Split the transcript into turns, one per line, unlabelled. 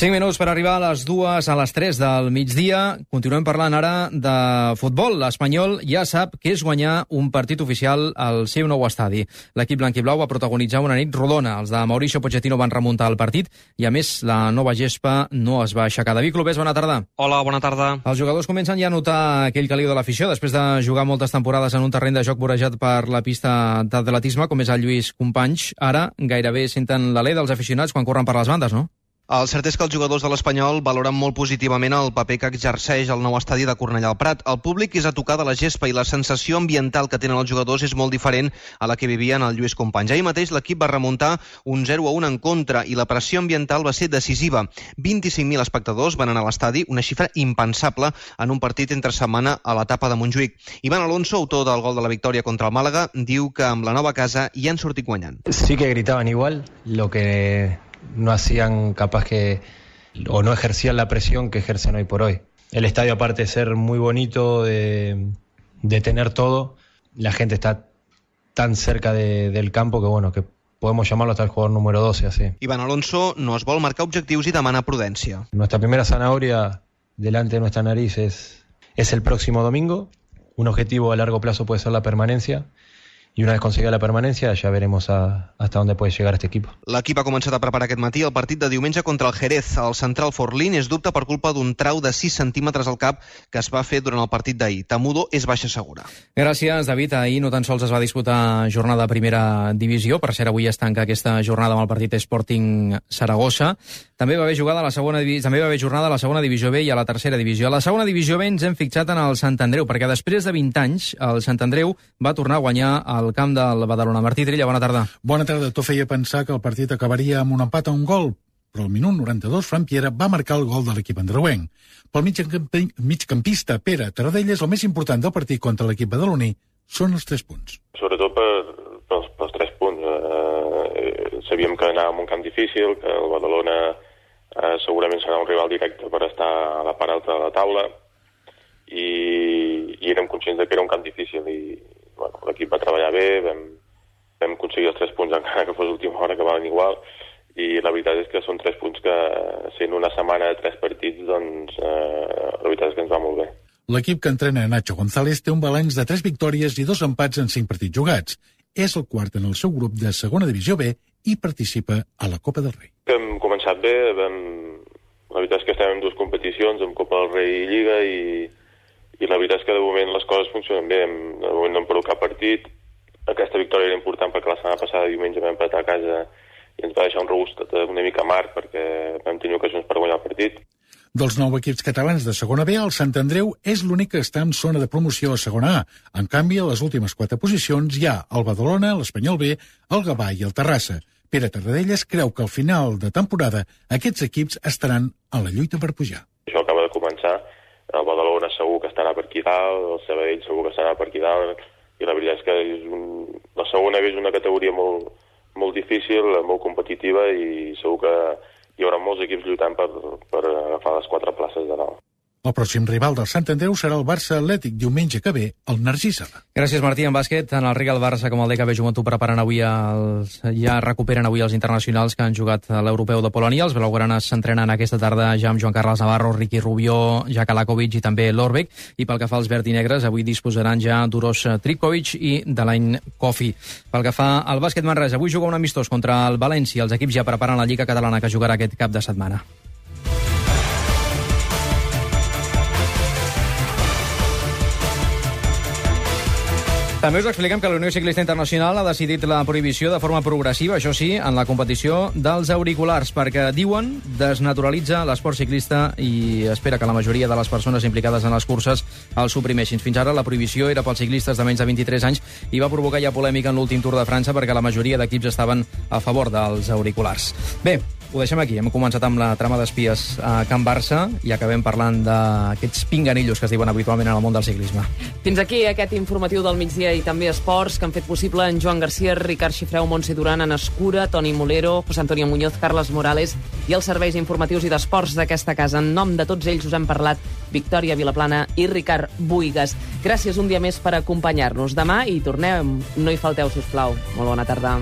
5 minuts per arribar a les 2 a les 3 del migdia. Continuem parlant ara de futbol. L'Espanyol ja sap que és guanyar un partit oficial al seu nou estadi. L'equip blanquiblau va protagonitzar una nit rodona. Els de Mauricio Pochettino van remuntar el partit i, a més, la nova gespa no es va aixecar. David Clopés, bona tarda.
Hola, bona tarda.
Els jugadors comencen ja a notar aquell caliu de l'afició després de jugar moltes temporades en un terreny de joc vorejat per la pista d'atletisme, com és el Lluís Companys. Ara gairebé senten l'alè dels aficionats quan corren per les bandes, no?
El cert és que els jugadors de l'Espanyol valoren molt positivament el paper que exerceix el nou estadi de Cornellà al Prat. El públic és a tocar de la gespa i la sensació ambiental que tenen els jugadors és molt diferent a la que vivien el Lluís Companys. Ahir mateix l'equip va remuntar un 0-1 en contra i la pressió ambiental va ser decisiva. 25.000 espectadors van anar a l'estadi, una xifra impensable en un partit entre setmana a l'etapa de Montjuïc. Iván Alonso, autor del gol de la victòria contra el Màlaga, diu que amb la nova casa hi han sortit guanyant.
Sí que gritaban igual, lo que no hacían capaz que, o no ejercían la presión que ejercen hoy por hoy. El estadio, aparte de ser muy bonito, de tener todo, la gente está tan cerca del campo que bueno, que podemos llamarlo hasta el jugador número 12, así.
Iván Alonso no es vol marcar objectius i demana prudència.
Nuestra primera zanahoria delante de nuestra nariz es el próximo domingo. Un objetivo a largo plazo puede ser la permanencia. Y una vez conseguida la permanencia, ya veremos hasta dónde puede llegar este equipo.
L'equip ha començat a preparar aquest matí el partit de diumenge contra el Jerez. El central Forlín és dubte per culpa d'un trau de 6 centímetres al cap que es va fer durant el partit d'ahir. Tamudo és baixa segura.
Gràcies, David. Ahir no tan sols es va disputar jornada de primera divisió. Per cert, avui es tanca aquesta jornada amb el partit Sporting Saragossa. També va haver jornada a la segona divisió B i a la tercera divisió. A la segona divisió B ens hem fixat en el Sant Andreu, perquè després de 20 anys el Sant Andreu va tornar a guanyar al camp del Badalona. Martí Trilla, bona tarda.
Bona tarda. Tot feia pensar que el partit acabaria amb un empat a un gol, però al minut 92 Fran Piera va marcar el gol de l'equip andreuenc. Pel migcampista Pere Tarradellas, el més important del partit contra l'equip badaloní són els 3 punts.
Sobretot pels 3 punts. Sabíem que anàvem a un camp difícil, que el Badalona segurament serà un rival directe per estar a la part alta de la taula i érem conscients que era un camp difícil i bueno, l'equip va treballar bé, vam aconseguir els 3 punts encara que fos l'última hora, que valen igual, i la veritat és que són 3 punts que, sent una setmana de 3 partits, doncs la veritat és que ens va molt bé.
L'equip que entrena Nacho González té un balanç de 3 victòries i 2 empats en 5 partits jugats. És el quart en el seu grup de segona divisió B i participa a la Copa del Rei.
Hem començat bé, la veritat és que estem en 2 competicions, en Copa del Rei i Lliga, i la veritat és que de moment les coses funcionen bé. De moment no hem perdut cap partit. Aquesta victòria era important perquè la setmana passada diumenge vam empatar a casa i ens va deixar un regust una mica amarg perquè vam tenir ocasions per guanyar el partit.
Dels 9 equips catalans de segona B, el Sant Andreu és l'únic que està en zona de promoció a segona A. En canvi, a les últimes 4 posicions hi ha el Badalona, l'Espanyol B, el Gavà i el Terrassa. Pere Tarradellas creu que al final de temporada aquests equips estaran a la lluita per pujar.
Això acaba de començar. El Badalona segur que estarà per aquí dalt, el Sabadell segur que estarà per aquí dalt, i la veritat és que la segona B és una categoria molt difícil, molt competitiva, i segur que hi haurà molts equips lluitant per agafar les 4 places de dalt.
El pròxim rival del Sant Andreu serà el Barça Atlètic diumenge que ve al Narcís Sala.
Gràcies, Martí. En bàsquet, tant el Real Barça com el DKB Joventut ja recuperen avui els internacionals que han jugat a l'Europeu de Polònia. Els blaugranes s'entrenen aquesta tarda ja amb Joan Carles Navarro, Ricky Rubio, Jack Alakovic i també Lorbeck. I pel que fa als verd i negres, avui disposaran ja d'Uros Tripkovic i d'Alain Kofi. Pel que fa al bàsquet Manresa, avui juga un amistós contra el València. Els equips ja preparen la Lliga Catalana que jugarà aquest cap de setmana. També us expliquem que la Unió Ciclista Internacional ha decidit la prohibició de forma progressiva, això sí, en la competició dels auriculars, perquè, diuen, desnaturalitza l'esport ciclista i espera que la majoria de les persones implicades en les curses el suprimeixin. Fins ara la prohibició era pels ciclistes de menys de 23 anys i va provocar ja polèmica en l'últim Tour de França perquè la majoria d'equips estaven a favor dels auriculars. Bé, ho deixem aquí. Hem començat amb la trama d'espies a Can Barça i acabem parlant d'aquests pinganillos que es diuen habitualment en el món del ciclisme.
Fins aquí aquest informatiu del migdia i també esports que han fet possible en Joan Garcia, Ricard Xifreu, Montse Duran, Anna Escura, Toni Molero, José Antonio Muñoz, Carles Morales i els serveis informatius i d'esports d'aquesta casa. En nom de tots ells us hem parlat Victòria Vilaplana i Ricard Buigas. Gràcies un dia més per acompanyar-nos. Demà hi tornem. No hi falteu, sisplau. Molt bona tarda.